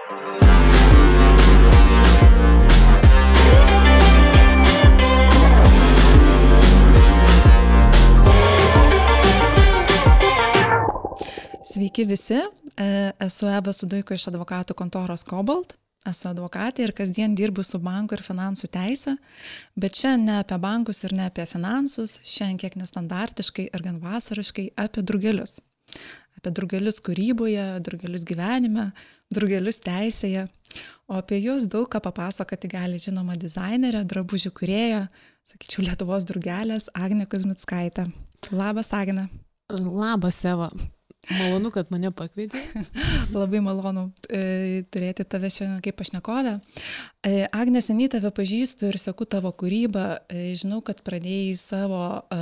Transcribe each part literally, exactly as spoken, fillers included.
Sveiki visi, esu Eva Sudaiko iš advokatų kontoros Cobalt, esu advokatė ir kasdien dirbu su bankų ir finansų teise, bet šiandien ne apie bankus ir ne apie finansus, šiandien kiek nestandartiškai ir gan vasariškai apie drugelius. Apie drugelius kūryboje, drugelius gyvenime, drugelius teisėje, o apie juos daug ką papasakoti gali žinoma dizainerė, drabužių kūrėja, sakyčiau, Lietuvos drugelės Agnė Kuzmickaitė. Labas, Agnė. Labas, Eva. Malonu, kad mane pakvietė. Labai malonu e, turėti tave šiandien kaip pašnekovę. E, Agnė, seniai tave pažįstu ir seku tavo kūrybą. E, žinau, kad pradėjai savo e,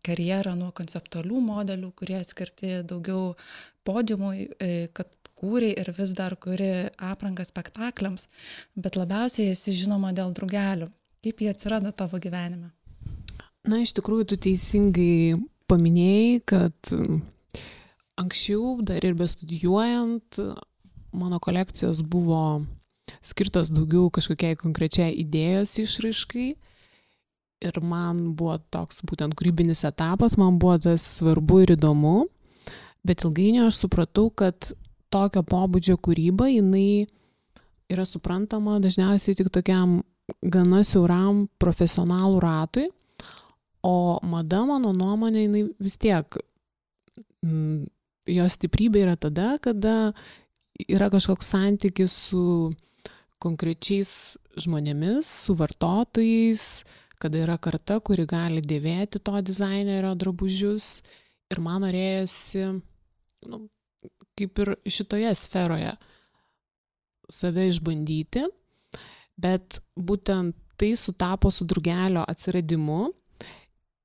karjerą nuo konceptualių modelių, kurie skirti daugiau podiumui, e, kad kūrei ir vis dar kuri aprangą spektakliams, bet labiausiai esi žinoma dėl drugelių. Kaip jie atsirado tavo gyvenime? Na, iš tikrųjų, tu teisingai paminėjai, kad anksčiau, dar ir bestudijuojant, mano kolekcijos buvo skirtos daugiau kažkokiai konkrečiai idėjos išraiškai ir man buvo toks būtent kūrybinis etapas, man buvo tas svarbu ir įdomu, bet ilgainiui aš supratau, kad tokio pobūdžio kūryba, jinai yra suprantama dažniausiai tik tokiam gana siauram profesionalų ratui, o mada, mano nuomonė, jinai vis tiek mm, jos stiprybė yra tada, kada yra kažkoks santykis su konkrečiais žmonėmis, su vartotojais, kada yra karta, kuri gali dėvėti to dizainerio drabužius. Ir man norėjosi, nu, kaip ir šitoje sferoje, save išbandyti, bet būtent tai sutapo su drugelio atsiradimu,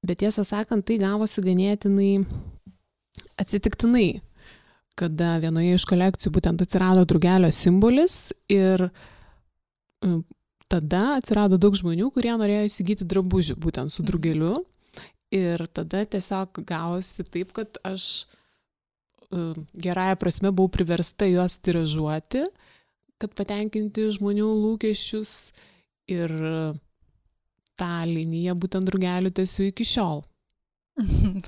bet tiesą sakant, tai gavosi ganėtinai atsitiktinai, kada vienoje iš kolekcijų būtent atsirado drugelio simbolis ir tada atsirado daug žmonių, kurie norėjo įsigyti drabužių būtent su drugeliu ir tada tiesiog gavosi taip, kad aš gerąja prasme buvau priversta juos tiražuoti, kad patenkinti žmonių lūkesčius ir tą liniją būtent drugelių tęsiu iki šiol.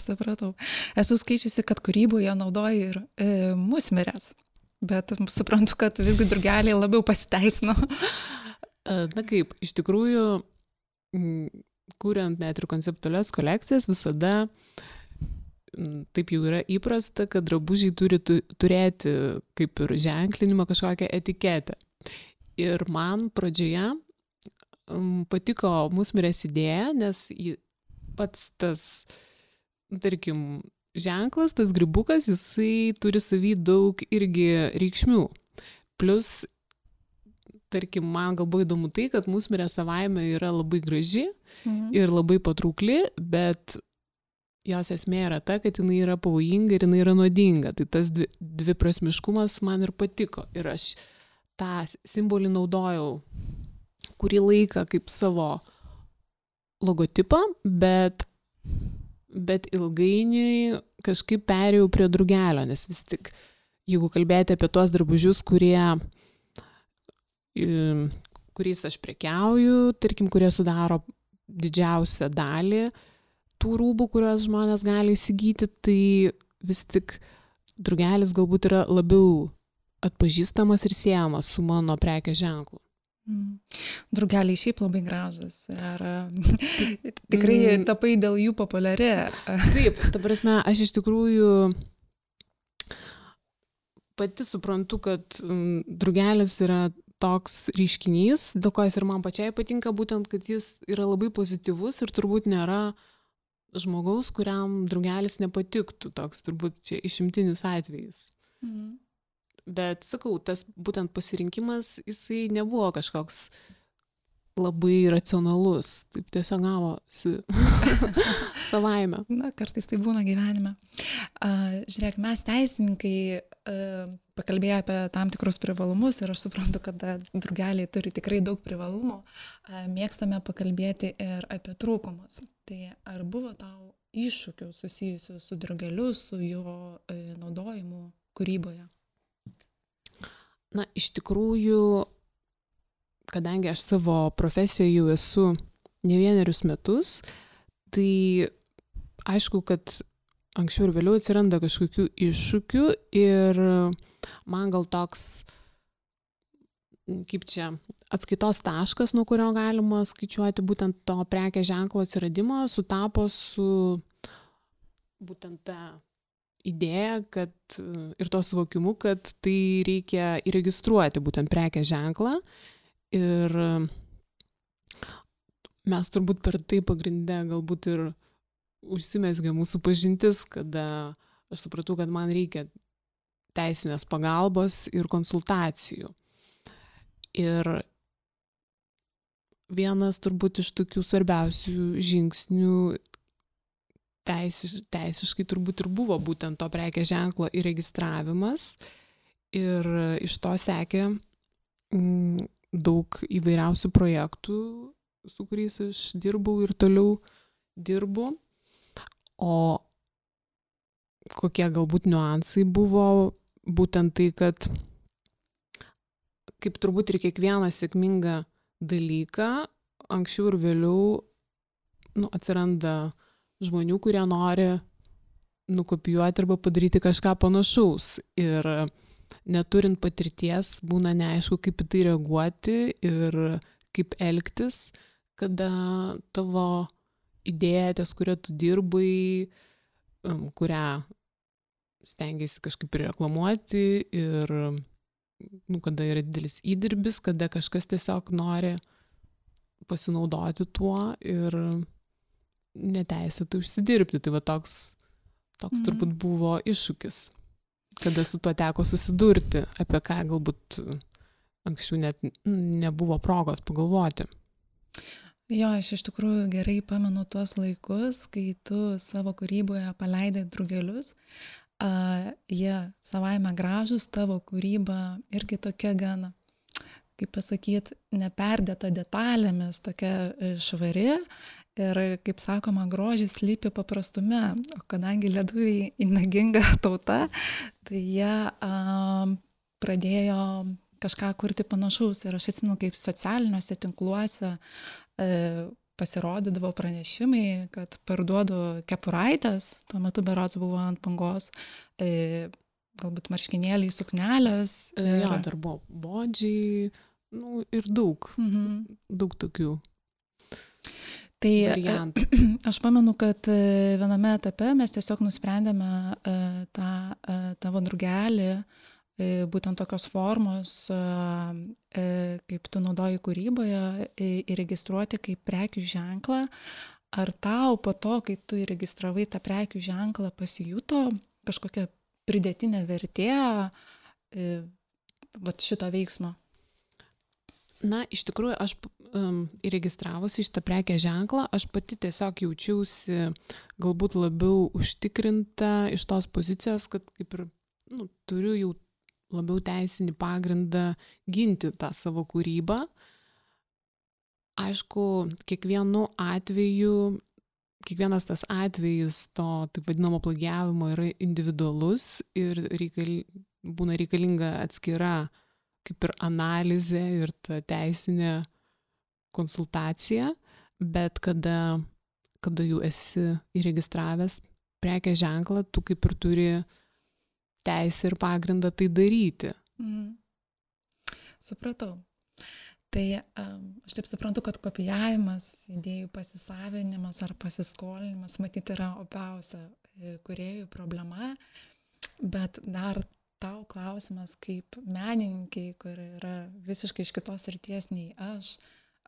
Supratau. Esu skaičiusi, kad kūryboje naudoji ir e, musmirės, bet suprantu, kad visgi drugeliai labiau pasiteisino. Na kaip, iš tikrųjų, kuriant net ir konceptualias kolekcijas, visada taip jau yra įprasta, kad drabužiai turi tu, turėti kaip ir ženklinimą kažkokią etiketę. Ir man pradžioje patiko musmirės idėja, nes pats tas tarkim, ženklas, tas grybukas, jisai turi savy daug irgi reikšmių. Plus, tarkim, man gal buvo įdomu tai, kad musmirė savaime yra labai graži mhm. ir labai patraukli, bet jos esmė yra ta, kad jinai yra pavojinga ir jinai yra nuodinga. Tai tas dvi, dviprasmiškumas man ir patiko. Ir aš tą simbolį naudojau kurį laiką kaip savo logotipą, bet bet ilgainiui kažkaip perėjau prie drugelio, nes vis tik, jeigu kalbėti apie tuos drabužius, kurie, kuriais aš prekiauju, tarkim, kurie sudaro didžiausią dalį tų rūbų, kuriuos žmonės gali įsigyti, tai vis tik drugelis galbūt yra labiau atpažįstamas ir siejamas su mano prekės ženklu. Mm. Drugeliai šiaip labai gražus. Ar tikrai mm. tapai dėl jų populiari? Taip, ta prasme, aš iš tikrųjų pati suprantu, kad drugelis yra toks reiškinys, dėl ko jis ir man pačiai patinka, būtent, kad jis yra labai pozityvus ir turbūt nėra žmogaus, kuriam drugelis nepatiktų. Toks turbūt čia išimtinis atvejis. Mm. Bet, sakau, tas būtent pasirinkimas, jisai nebuvo kažkoks labai racionalus. Taip tiesiog gavosi savaime. Na, kartais tai būna gyvenime. Uh, žiūrėk, mes teisininkai uh, pakalbėję apie tam tikrus privalumus ir aš suprantu, kad drugeliai turi tikrai daug privalumų. Uh, mėgstame pakalbėti ir apie trūkumus. Tai ar buvo tau iššūkių susijusių su drugeliu, su jo uh, naudojimu kūryboje? Na, iš tikrųjų, kadangi aš savo profesijoje jau esu ne vienerius metus, tai aišku, kad anksčiau ir vėliau atsiranda kažkokių iššūkių ir man gal toks, kaip čia, atskaitos taškas, nuo kurio galima skaičiuoti būtent to prekės ženklo atsiradimą, sutapo su būtent ta idėja, kad ir to suvokimu, kad tai reikia įregistruoti būtent prekės ženklą. Ir mes turbūt per tai pagrindę galbūt ir užsimezgė mūsų pažintis, kada aš supratau, kad man reikia teisinės pagalbos ir konsultacijų. Ir vienas turbūt iš tokių svarbiausių žingsnių teisiš, teisiškai turbūt ir buvo būtent to prekės ženklo įregistravimas. Ir iš to sekė mm, daug įvairiausių projektų, su kuriais aš dirbau ir toliau dirbu. O kokie galbūt niuansai buvo būtent tai, kad kaip turbūt ir kiekvieną sėkmingą dalyką, anksčiau ir vėliau nu, atsiranda žmonių, kurie nori nukopijuoti arba padaryti kažką panašaus. Ir neturint patirties, būna neaišku, kaip į tai reaguoti ir kaip elgtis, kada tavo idėja, ties kuria tu dirbai, kurią stengiasi kažkaip reklamuoti ir nu, kada yra didelis įdirbis, kada kažkas tiesiog nori pasinaudoti tuo ir neteisėtai užsidirbti. Tai va toks, toks mm. turbūt buvo iššūkis, kada su tuo teko susidurti, apie ką galbūt anksčiau net nebuvo progos pagalvoti. Jo, aš iš tikrųjų gerai pamenu tuos laikus, kai tu savo kūryboje paleidai drugelius. Uh, jie savaime gražus, tavo kūryba irgi tokia gana, kaip pasakyti, neperdėta detalėmis, tokia švari. Ir, kaip sakoma, grožis slypi paprastume. O kadangi lietuviai įnaginga tauta, tai jie uh, pradėjo kažką kurti panašaus. Ir aš atsimenu, kaip socialiniuose tinkluose e, pasirodydavo pranešimai, kad parduodu kepuraitės, tuo metu berods buvo ant bangos, e, galbūt marškinėliai, suknelės. Ir... Jo, dar buvo bodžiai, nu, ir daug, mhm. daug tokių tai, variantų. Aš pamenu, kad viename etape mes tiesiog nusprendėme e, tą e, tavo drugelį, būtent tokios formos, kaip tu naudoji kūryboje, įregistruoti kaip prekių ženklą. Ar tau po to, kai tu įregistravai tą prekių ženklą, pasijuto kažkokia pridėtinė vertė vat šito veiksmo? Na, iš tikrųjų, aš um, įregistravusi šitą prekę ženklą, aš pati tiesiog jaučiausi galbūt labiau užtikrinta iš tos pozicijos, kad kaip ir nu, turiu jau labiau teisinį pagrindą ginti tą savo kūrybą. Aišku, kiekvienu atveju, kiekvienas tas atvejis to taip vadinamo plagiavimo yra individualus ir reikal, būna reikalinga atskira kaip ir analizė ir ta teisinė konsultacija, bet kada, kada jau esi įregistravęs prekės ženklą, tu kaip ir turi teisę ir pagrindą tai daryti. Mm. Supratau. Tai um, aš taip suprantu, kad kopijavimas, idėjų pasisavinimas ar pasiskolinimas matyti yra opiausia kūrėjų problema, bet dar tau klausimas kaip menininkai, kur yra visiškai iš kitos srities nei aš,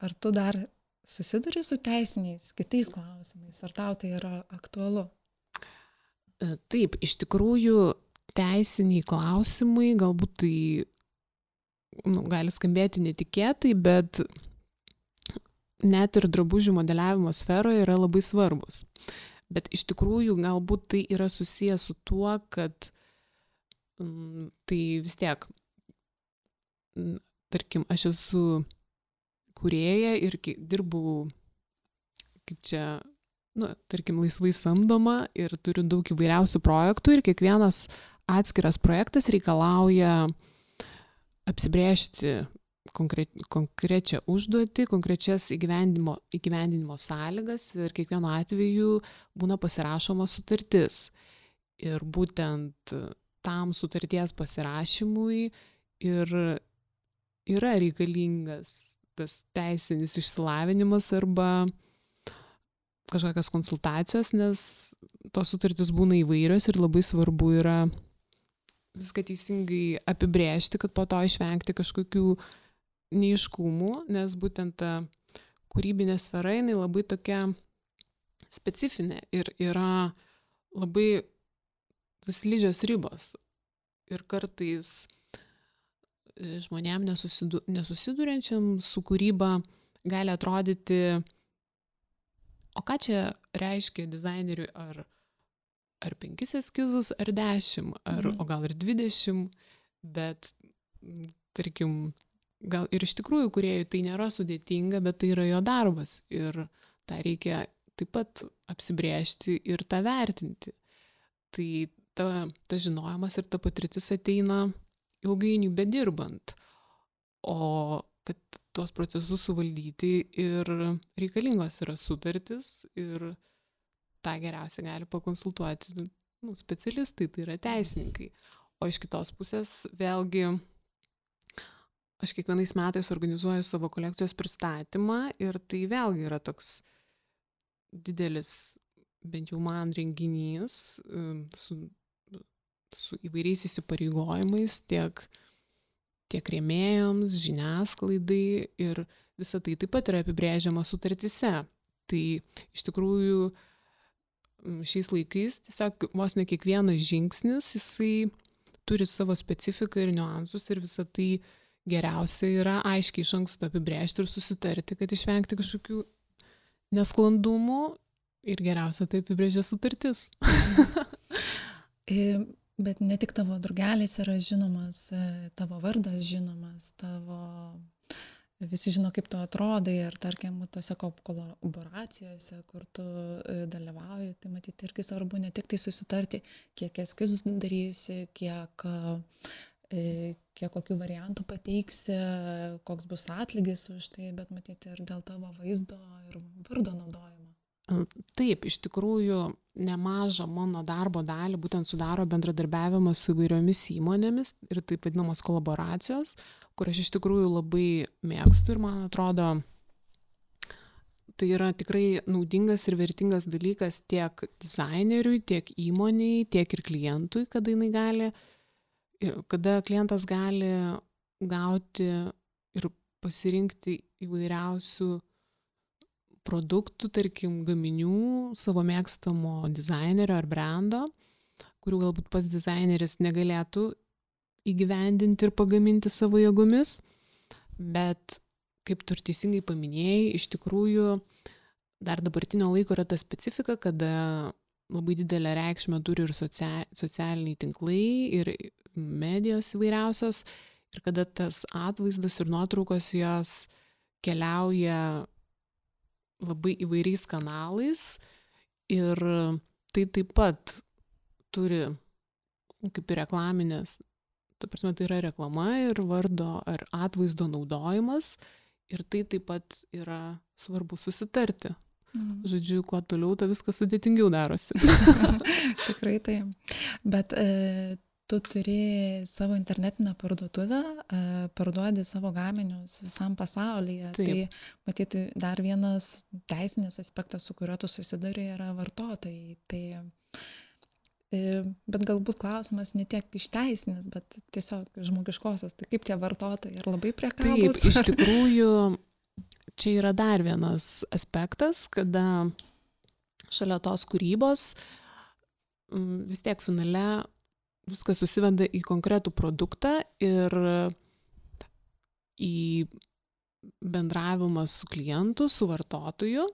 ar tu dar susiduri su teisiniais kitais klausimais, ar tau tai yra aktualu? Taip, iš tikrųjų teisiniai klausimai, galbūt tai nu, gali skambėti netikėtai, bet net ir drabužių modeliavimo sferoje yra labai svarbus. Bet iš tikrųjų galbūt tai yra susijęs su tuo, kad mm, tai vis tiek, mm, tarkim, aš esu kūrėja ir dirbau kaip čia, nu, tarkim, laisvai samdoma ir turiu daug įvairiausių projektų ir kiekvienas atskiras projektas reikalauja apsibrėžti konkre, konkrečią užduotį, konkrečias įgyvendinimo, įgyvendinimo sąlygas ir kiekvienu atveju būna pasirašoma sutartis. Ir būtent tam sutarties pasirašymui ir yra reikalingas tas teisinis išsilavinimas arba kažkokios konsultacijos, nes tos sutartys būna įvairios ir labai svarbu yra viską teisingai apibrėžti, kad po to išvengti kažkokių neaiškumų, nes būtent ta kūrybinė sfera, jinai labai tokia specifinė ir yra labai slidžios ribos. Ir kartais žmonėm nesusidu, nesusiduriančiam su kūryba gali atrodyti, o ką čia reiškia dizaineriui, ar, ar penkis eskizus, ar dešimt, ar, mhm. o gal ir dvidešimt, bet, tarkim, gal ir iš tikrųjų kūrėjui tai nėra sudėtinga, bet tai yra jo darbas ir tą reikia taip pat apsibrėžti ir tą vertinti. Tai ta, ta žinojimas ir ta patirtis ateina ilgainiui bedirbant, o kad tuos procesus suvaldyti ir reikalingos yra sutartis ir tą geriausiai gali pakonsultuoti nu, specialistai, tai yra teisininkai. O iš kitos pusės vėlgi aš kiekvienais metais organizuoju savo kolekcijos pristatymą ir tai vėlgi yra toks didelis, bent jau man, renginys su, su įvairiais įsipareigojimais tiek, tiek rėmėjams, žiniasklaidai ir visa tai taip pat yra apibrėžiama sutartyse. Tai iš tikrųjų šiais laikais tiesiog vos ne kiekvienas žingsnis, jisai turi savo specifiką ir niuansus ir visa tai geriausia yra aiškiai iš anksto apibrėžti ir susitarti, kad išvengti kažkokių nesklandumų ir geriausia tai apibrėžia sutartis. Bet ne tik tavo drugelis yra žinomas, tavo vardas žinomas, tavo visi žino, kaip tu atrodai ir tarkim, tose kolaboracijose, kur tu dalyvauji, tai matyti irgi svarbu ne tik tai susitarti, kiek eskizų darysi, kiek kiek kokių variantų pateiksi, koks bus atlygis už tai, bet matyti ir dėl tavo vaizdo ir vardo naudojimo. Taip, iš tikrųjų nemažą mano darbo dalį būtent sudaro bendradarbiavimas su įvairiomis įmonėmis ir taip vadinamos kolaboracijos, kur aš iš tikrųjų labai mėgstu ir man atrodo, tai yra tikrai naudingas ir vertingas dalykas tiek dizaineriui, tiek įmoniai, tiek ir klientui, kada jinai gali Ir kada klientas gali gauti ir pasirinkti įvairiausių produktų, tarkim, gaminių savo mėgstamo dizainerio ar brando, kurių galbūt pats dizaineris negalėtų įgyvendinti ir pagaminti savo jėgomis, bet kaip tu ir teisingai paminėjai, iš tikrųjų dar dabartinio laiko yra ta specifika, kada labai didelę reikšmę turi ir socialiniai tinklai ir medijos įvairiausios ir kada tas atvaizdas ir nuotraukos jos keliauja labai įvairiais kanalais ir tai taip pat turi kaip ir reklaminės, ta prasme tai yra reklama ir vardo ar atvaizdo naudojimas ir tai taip pat yra svarbu susitarti. Mm. Žodžiu, kuo toliau, to viskas sudėtingiau darosi. Tikrai tai. Bet e, tu turi savo internetinę parduotuvę, e, parduodi savo gaminius visam pasaulyje. Taip. Tai matyti dar vienas teisinis aspektas, su kuriuo tu susiduri, yra vartotojai. Tai, e, bet galbūt klausimas ne tiek iš teisinės, bet tiesiog žmogiškosios. Tai kaip tie vartotojai, ar labai priekabūs? Taip, iš tikrųjų čia yra dar vienas aspektas, kada šalia tos kūrybos vis tiek finale viskas susiveda į konkretų produktą ir į bendravimą su klientu, su vartotoju.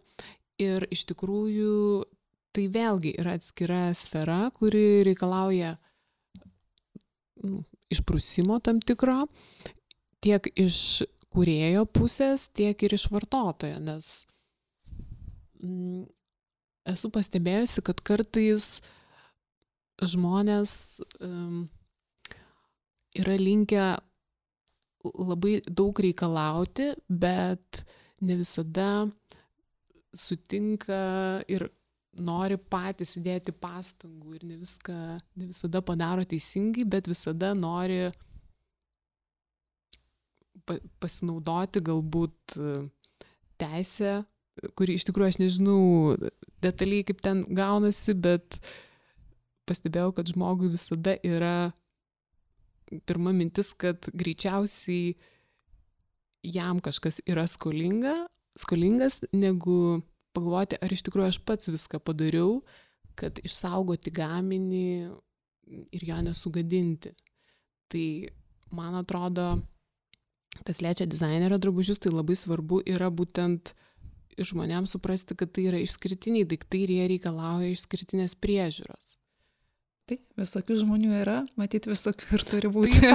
Ir iš tikrųjų tai vėlgi yra atskira sfera, kuri reikalauja nu, išprusimo tam tikro, tiek iš kūrėjo pusės, tiek ir iš vartotojo, nes mm, esu pastebėjusi, kad kartais žmonės um, yra linkę labai daug reikalauti, bet ne visada sutinka ir nori patys įdėti pastangų ir ne viską, ne visada padaro teisingai, bet visada nori pasinaudoti galbūt teisę, kuri iš tikrųjų aš nežinau detaliai kaip ten gaunasi, bet pastebėjau, kad žmogui visada yra pirma mintis, kad greičiausiai jam kažkas yra skolinga, skolingas, negu pagalvoti, ar iš tikrųjų aš pats viską padariau, kad išsaugoti gaminį ir jo nesugadinti. Tai man atrodo, kas liečia dizainerio drabužius, tai labai svarbu yra būtent žmonėms suprasti, kad tai yra išskirtiniai daiktai ir jie reikalauja išskirtinės priežiūros. Tai visokių žmonių yra, matyti visokių ir turi būti.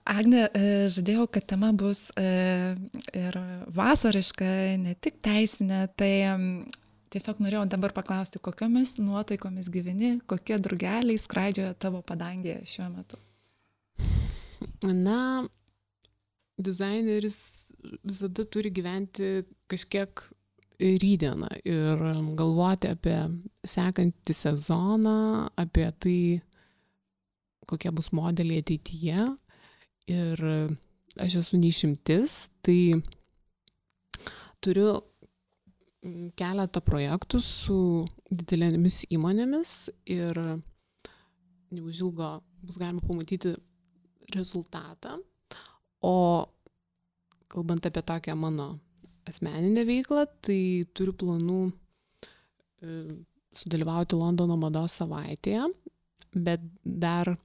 Agne, žadėjau, kad tema bus ir vasariška, ne tik teisinė, tai tiesiog norėjau dabar paklausti, kokiomis nuotaikomis gyveni, kokie drugeliai skraidžioja tavo padangėje šiuo metu? Na, dizaineris visada turi gyventi kažkiek rytdieną ir galvoti apie sekantį sezoną, apie tai, kokie bus modeliai ateityje. Ir aš esu neišimtis, tai turiu keletą projektų su didelėmis įmonėmis ir neužilgo bus galima pamatyti rezultatą. O kalbant apie tokią mano asmeninę veiklą, tai turiu planų sudalyvauti Londono mados savaitėje, bet dar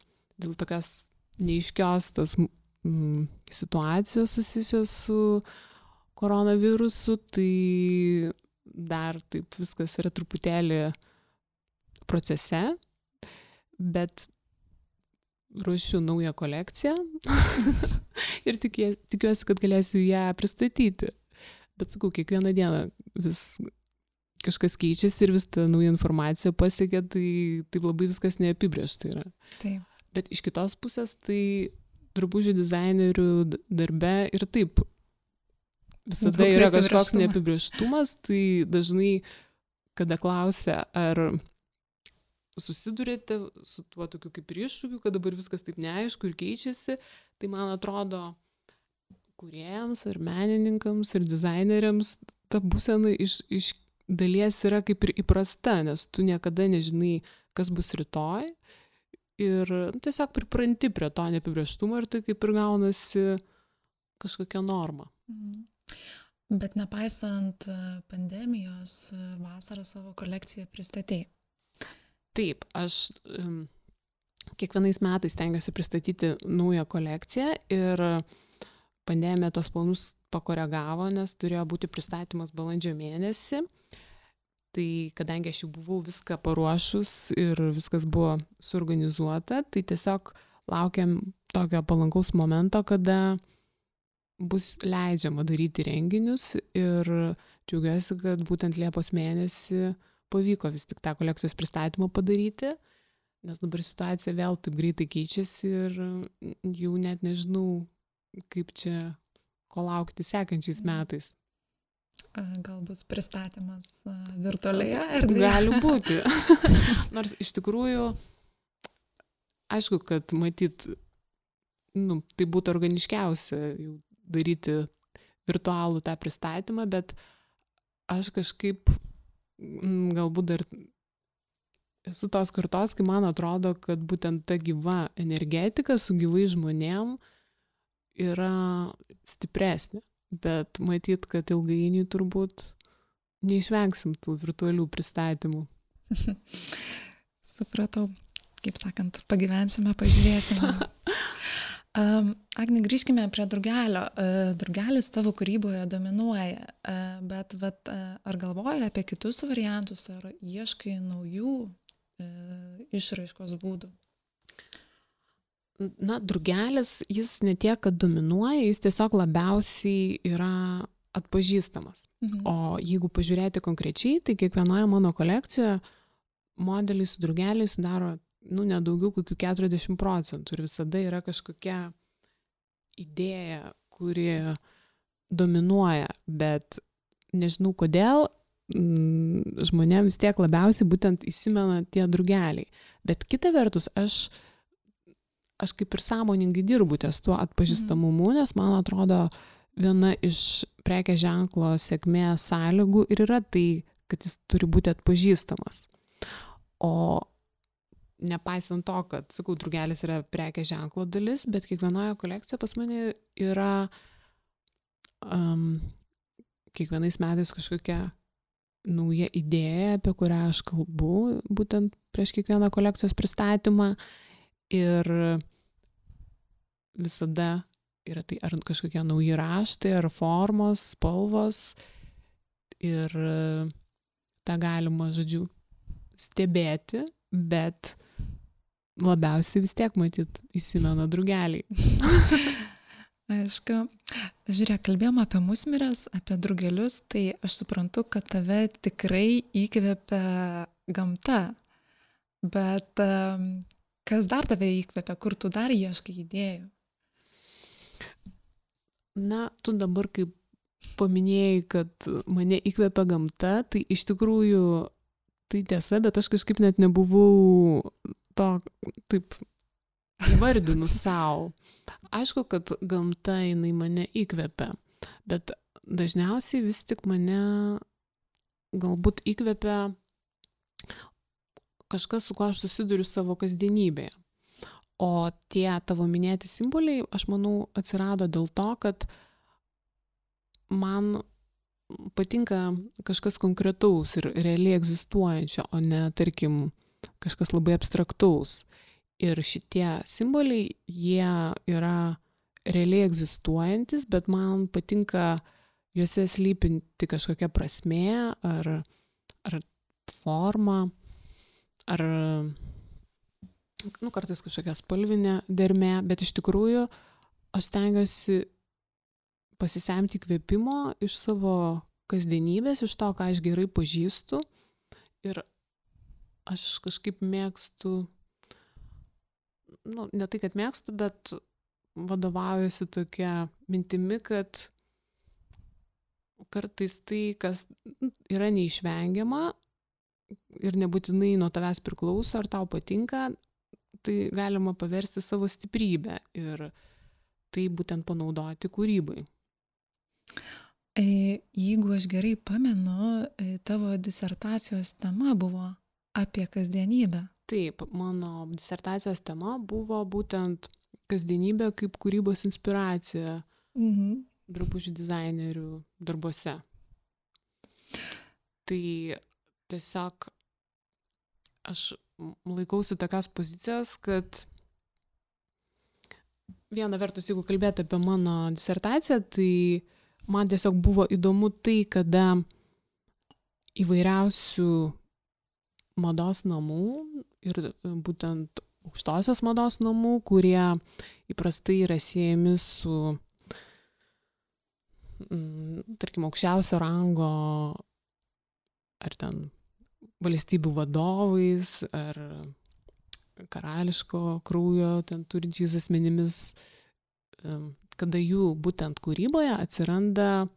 dėl tokios neaiškios tos mm, situacijos susijusios su koronavirusu, tai dar taip viskas yra truputėlį procese, bet ruošiu naują kolekciją ir tikie, tikiuosi, kad galėsiu ją pristatyti. Bet sakau, kiekvieną dieną vis kažkas keičiasi ir vis ta nauja informacija pasiekia, tai taip labai viskas neapibrėžta yra. Taip. Bet iš kitos pusės, tai drabužių dizainerių darbe ir taip visada Koks yra kažkoks neapibrėžtumas, tai dažnai, kada klausia, ar susidurėte su tuo tokiu kaip ir iššūkiu, kad dabar viskas taip neaišku ir keičiasi, tai man atrodo, kūrėjams ir menininkams ir dizaineriams ta būsena iš, iš dalies yra kaip ir įprasta, nes tu niekada nežinai, kas bus rytoj ir tiesiog pripranti prie to neapibrėžtumo ir tai kaip ir gaunasi kažkokia norma. Bet nepaisant pandemijos, vasarą savo kolekciją pristatei. Taip, aš um, kiekvienais metais stengiuosi pristatyti naują kolekciją ir pandemija tos planus pakoregavo, nes turėjo būti pristatymas balandžio mėnesį. Tai kadangi aš jau buvau viską paruošus ir viskas buvo suorganizuota, tai tiesiog laukiam tokio palankaus momento, kada bus leidžiama daryti renginius ir džiaugiuosi, kad būtent Liepos mėnesį pavyko vis tik tą kolekcijos pristatymą padaryti, nes dabar situacija vėl taip greitai keičiasi ir jau net nežinau, kaip čia ko laukti sekančiais metais. Gal bus pristatymas virtualioje erdvėje? Gali būti. Nors iš tikrųjų, aišku, kad matyt, nu, tai būtų organiškiausia jau daryti virtualų tą pristatymą, bet aš kažkaip galbūt dar esu tos kartos, kai man atrodo, kad būtent ta gyva energetika su gyvai žmonėm yra stipresnė. Bet matyt, kad ilgainiui turbūt neišvengsim tų virtualių pristatymų. Supratau. Kaip sakant, pagyvensime, pažiūrėsime. um, Agne, grįžkime prie drugelio. Uh, drugelis tavo kūryboje dominuoja, uh, bet vat, uh, ar galvoji apie kitus variantus, ar ieškai naujų uh, išraiškos būdų? Na, drugelis, jis ne tiek, kad dominuoja, jis tiesiog labiausiai yra atpažįstamas. Mhm. O jeigu pažiūrėti konkrečiai, tai kiekvienoje mano kolekcijoje modeliai su drugeliais sudaro nu, nedaugiau kokių keturiasdešimt procentų ir visada yra kažkokia idėja, kuri dominuoja, bet nežinau kodėl, žmonėms vis tiek labiausiai būtent įsimena tie drugeliai. Bet kita vertus, aš, aš kaip ir sąmoningai dirbu ties tuo atpažįstamumu, nes man atrodo viena iš prekės ženklo sėkmės sąlygų ir yra tai, kad jis turi būti atpažįstamas. O nepaisant to, kad, sakau, drugelis yra prekės ženklo dalis, bet kiekvienoje kolekcijoje pas mane yra um, kiekvienais metais kažkokia nauja idėja, apie kurią aš kalbu, būtent prieš kiekvieną kolekcijos pristatymą. Ir visada yra tai ar kažkokie nauji raštai, ar formos, spalvos. Ir tą galima, žodžiu, stebėti, bet labiausiai vis tiek, matyt, įsimena drugeliai. Aišku, žiūrėk, kalbėjom apie musmires, apie drugelius, tai aš suprantu, kad tave tikrai įkvepia gamta, bet kas dar tave įkvepia, kur tu dar ieškai idėjų? Na, tu dabar kaip paminėjai, kad mane įkvepia gamta, tai iš tikrųjų tai tiesa, bet aš kažkaip net nebuvau to taip įvardinu savo. Aišku, kad gamta jinai mane įkvepia, bet dažniausiai vis tik mane galbūt įkvepia kažkas, su kuo aš susiduriu savo kasdienybėje. O tie tavo minėti simboliai, aš manau, atsirado dėl to, kad man patinka kažkas konkretaus ir realiai egzistuojančio, o ne, tarkim, kažkas labai abstraktaus. Ir šitie simboliai, jie yra realiai egzistuojantis, bet man patinka juose slypinti kažkokia prasmė ar, ar forma, ar nu, kartais kažkokia spalvinė dermė, bet iš tikrųjų aš stengiuosi pasisemti įkvėpimo iš savo kasdienybės, iš to, ką aš gerai pažįstu. Ir aš kažkaip mėgstu, nu, ne tai, kad mėgstu, bet vadovaujuosi tokia mintimi, kad kartais tai, kas yra neišvengiama ir nebūtinai nuo tavęs priklauso, ar tau patinka, tai galima paversti savo stiprybę ir tai būtent panaudoti kūrybai. Jeigu aš gerai pamenu, tavo disertacijos tema buvo apie kasdienybę. Taip, mano disertacijos tema buvo būtent kasdienybė kaip kūrybos inspiracija mhm. drabužių dizainerių darbuose. Tai tiesiog aš laikausi tokios pozicijos, kad viena vertus, jeigu kalbėti apie mano disertaciją, tai man tiesiog buvo įdomu tai, kada įvairiausių mados namų ir būtent aukštosios mados namų, kurie įprastai yra siejami su, tarkim, aukščiausio rango ar ten valstybių vadovais, ar karališko kraujo ten turinčiais asmenimis, kada jų būtent kūryboje atsiranda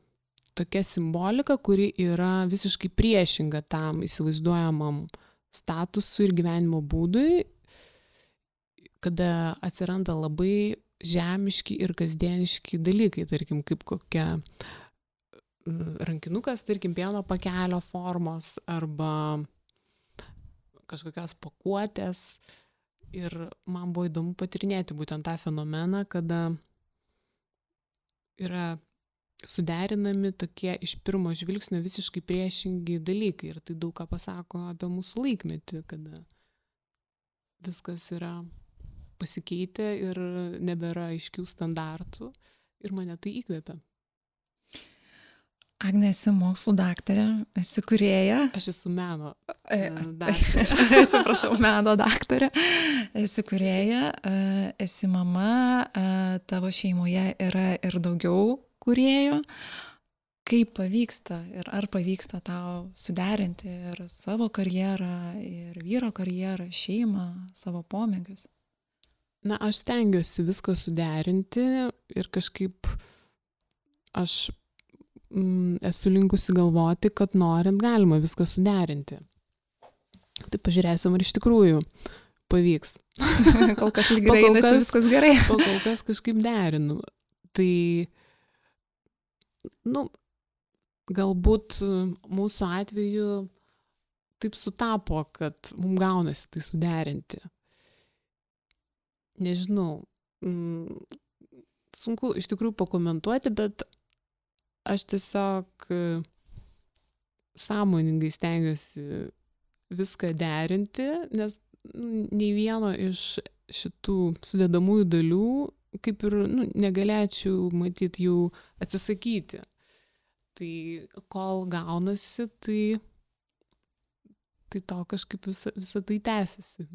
tokia simbolika, kuri yra visiškai priešinga tam įsivaizduojamam statusui ir gyvenimo būdui, kada atsiranda labai žemiški ir kasdieniški dalykai, tarkim, kaip kokia rankinukas, tarkim, pieno pakelio formos arba kažkokios pakuotės. Ir man buvo įdomu patyrinėti būtent tą fenomeną, kada yra suderinami tokie iš pirmo žvilgsnio visiškai priešingi dalykai. Ir tai daug ką pasako apie mūsų laikmetį, kada viskas yra pasikeitę ir nebėra aiškių standartų. Ir mane tai įkvėpia. Agne, esi mokslų daktarė, esi kūrėja. Aš esu meno daktarė. Atsiprašau, meno daktarė. Esi kūrėja, esi mama, tavo šeimoje yra ir daugiau kūrėjų. kaip pavyksta ir ar pavyksta tau suderinti ir savo karjerą, ir vyro karjerą, šeimą, savo pomėgius? Na, aš stengiuosi viską suderinti ir kažkaip aš mm, esu linkusi galvoti, kad norint galima viską suderinti. Tai pažiūrėsim, ar iš tikrųjų pavyks. Kol kas lyg gerai, nes viskas gerai. Kol kas kažkaip derinu. Tai, nu, galbūt mūsų atveju taip sutapo, kad mums gaunasi tai suderinti. Nežinau, sunku iš tikrųjų pakomentuoti, bet aš tiesiog sąmoningai stengiuosi viską derinti, nes nei vieno iš šitų sudedamųjų dalių kaip ir nu, negalėčiau matyti jų atsisakyti. Tai kol gaunasi, tai, tai to kažkaip visa, visa tai tęsiasi.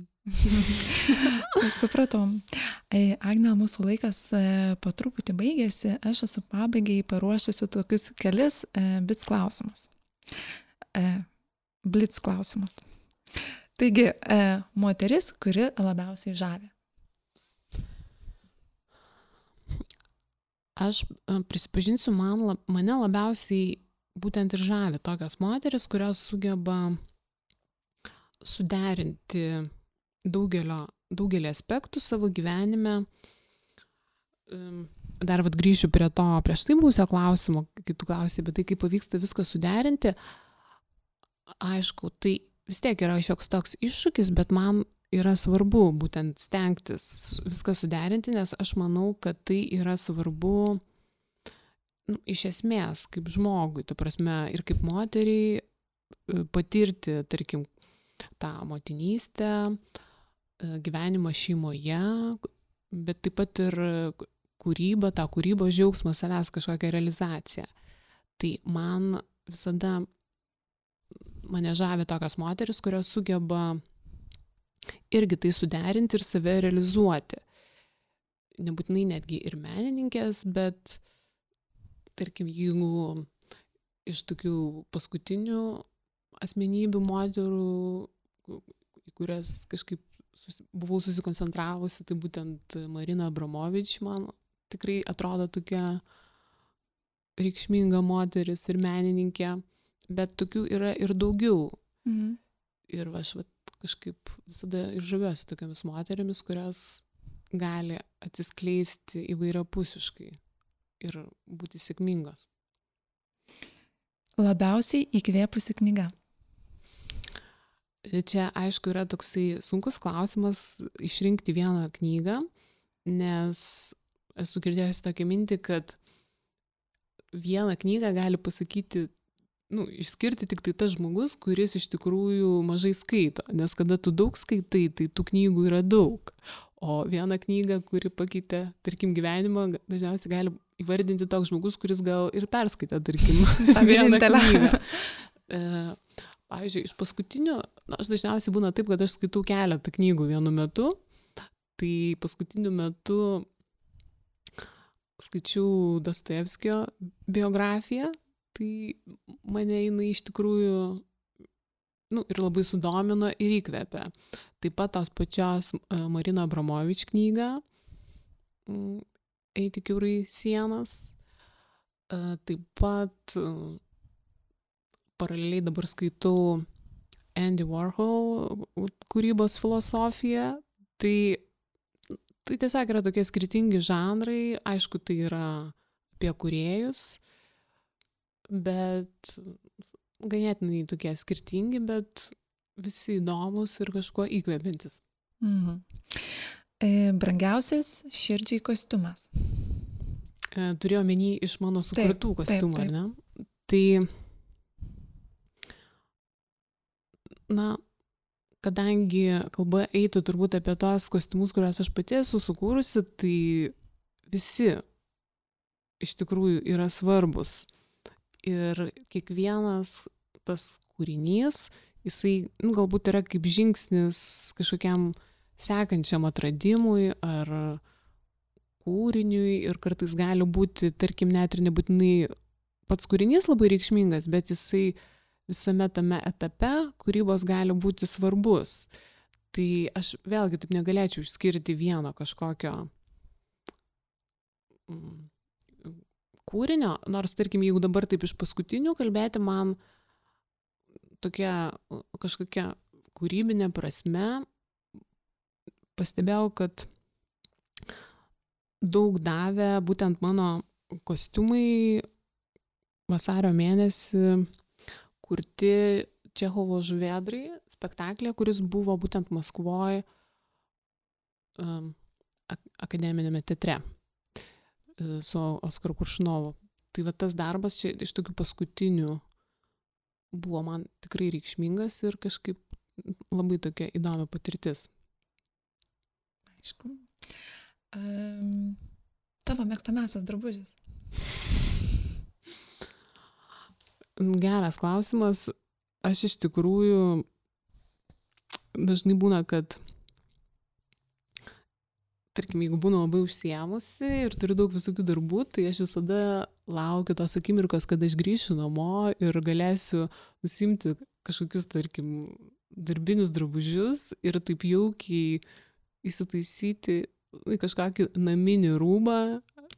Supratom. Agne, mūsų laikas po truputį baigėsi. Aš esu pabaigai paruošusi tokius kelis blitz klausimus. Blitz klausimus. Taigi, moteris, kuri labiausiai žavi? Aš prisipažinsiu, man, mane labiausiai būtent ir žavi tokios moteris, kurios sugeba suderinti daugelio, daugelį aspektų savo gyvenime. Dar vat grįšiu prie to prieš tai būsio klausimo, kai tu klausai, bet tai kaip pavyksta viską suderinti. Aišku, tai vis tiek yra šioks toks iššūkis, bet man yra svarbu būtent stengtis viską suderinti, nes aš manau, kad tai yra svarbu nu, iš esmės kaip žmogui, tu prasme, ir kaip moteriai patirti, tarkim, tą motinystę, gyvenimą šeimoje, bet taip pat ir kūrybą, tą kūrybos džiaugsmą, savęs kažkokią realizaciją. Tai man visada mane žavi tokios moteris, kurios sugeba irgi tai suderinti ir save realizuoti. Nebūtinai netgi ir menininkės, bet tarkim, jeigu iš tokių paskutinių asmenybių moterų, į kurias kažkaip susi, buvau susikoncentravusi, tai būtent Marina Abramovič man tikrai atrodo tokia reikšminga moteris ir menininkė, bet tokių yra ir daugiau. Mhm. Ir aš vat, kažkaip visada ir žaviuosi tokiamis moterimis, kurios gali atsiskleisti įvairiapusiškai ir būti sėkmingos. Labiausiai įkvėpusi knyga? Čia, aišku, yra toksai sunkus klausimas išrinkti vieną knygą, nes esu girdėjusi tokią mintį, kad vieną knygą gali pasakyti nu, išskirti tik tai tas žmogus, kuris iš tikrųjų mažai skaito, nes kada tu daug skaitai, tai tų knygų yra daug. O vieną knygą, kuri pakeitė, tarkim, gyvenimą, dažniausiai gali įvardinti toks žmogus, kuris gal ir perskaitė, tarkim, vieną knygą. E, pavyzdžiui, iš paskutinių, na, aš dažniausiai būna taip, kad aš skaitau keletą knygų vienu metu, tai paskutiniu metu skaičiau Dostojevskio biografiją, tai mane jinai iš tikrųjų nu, ir labai sudomino ir įkvėpė. Taip pat tos pačios Marina Abramovič knygą Eiti kiaurai sienas. Taip pat paraleliai dabar skaitau Andy Warhol kūrybos filosofiją. Tai, tai tiesiog yra tokie skirtingi žanrai. Aišku, tai yra apie kūrėjus, bet ganėtinai tokie skirtingi, bet visi įdomus ir kažkuo įkvepiantis. Mhm. E, brangiausias širdžiai kostiumas? E, turėjau omeny iš mano sukurtų taip, kostiumų, taip, taip. Ne? Tai, na, kadangi kalba eitų turbūt apie tos kostiumus, kuriuos aš pati esu sukūrusi, tai visi iš tikrųjų yra svarbus. Ir kiekvienas tas kūrinys, jisai nu, galbūt yra kaip žingsnis kažkokiam sekančiam atradimui ar kūriniui ir kartais gali būti, tarkim, net ir nebūtinai pats kūrinys labai reikšmingas, bet jisai visame tame etape kūrybos gali būti svarbus. Tai aš vėlgi taip negalėčiau išskirti vieno kažkokio kūrinio, nors, tarkim, jeigu dabar taip iš paskutinių kalbėti, man tokia kažkokia kūrybinė prasme pastebėjau, kad daug davė būtent mano kostiumai vasario mėnesį kurti Čechovo Žuvėdrai spektaklė, kuris buvo būtent Maskvoje um, akademinėme teatre su Oskaru Koršunovu. Tai va tas darbas čia iš tokių paskutinių buvo man tikrai reikšmingas ir kažkaip labai tokia įdomi patirtis. Aišku. Um, tavo mėgstamiausias drabužis? Geras klausimas. Aš iš tikrųjų dažnai būna, kad tarkim, jeigu būnu labai užsiėmusi ir turiu daug visokių darbų, tai aš visada laukiu tos akimirkos, kad aš grįšiu namo ir galėsiu nusimti kažkokius, tarkim, darbinius drabužius ir taip jaukiai įsitaisyti į kažkokį naminį rūbą,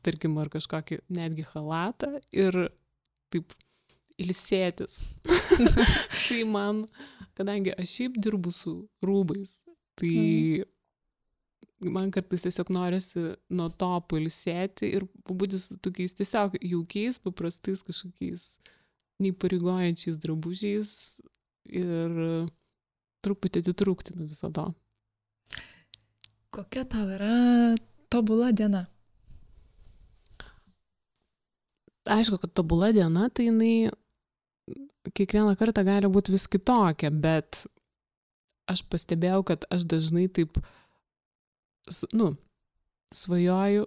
tarkim, ar kažkokį netgi chalatą ir taip ilsėtis. Tai man, kadangi aš šiaip dirbu su rūbais, tai mm. man kartais tiesiog norisi nuo to pailsėti ir pabūti su tokiais tiesiog jaukiais, paprastais kažkokiais neįpareigojančiais drabužiais ir truputį atitrūkti nuo viso to. Kokia tau yra tobula diena? Aišku, kad tobula diena, tai jinai kiekvieną kartą gali būti vis kitokia, bet aš pastebėjau, kad aš dažnai taip, nu, svajoju,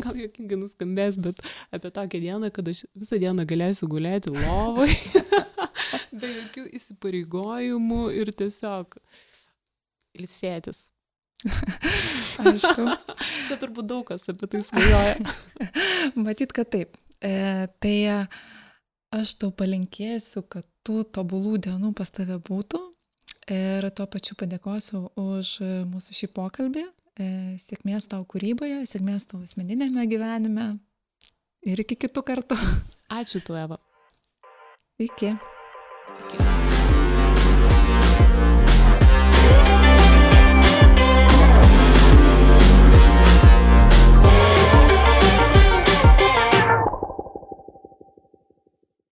gal juokingai nuskambės, bet apie tokią dieną, kad aš visą dieną galėsiu gulėti lovai, be jokių įsipareigojimų ir tiesiog ilsėtis. Aišku. Čia turbūt daug kas apie tai svajoja. Matyt, kad taip. E, tai aš tau palinkėsiu, kad tų tobulų dienų pas tave būtų ir tuo pačiu padėkosiu už mūsų šį pokalbį. E, sėkmės tau kūryboje, sėkmės tau asmeninėme gyvenime ir iki kitų kartų. Ačiū tu, Eva. Iki.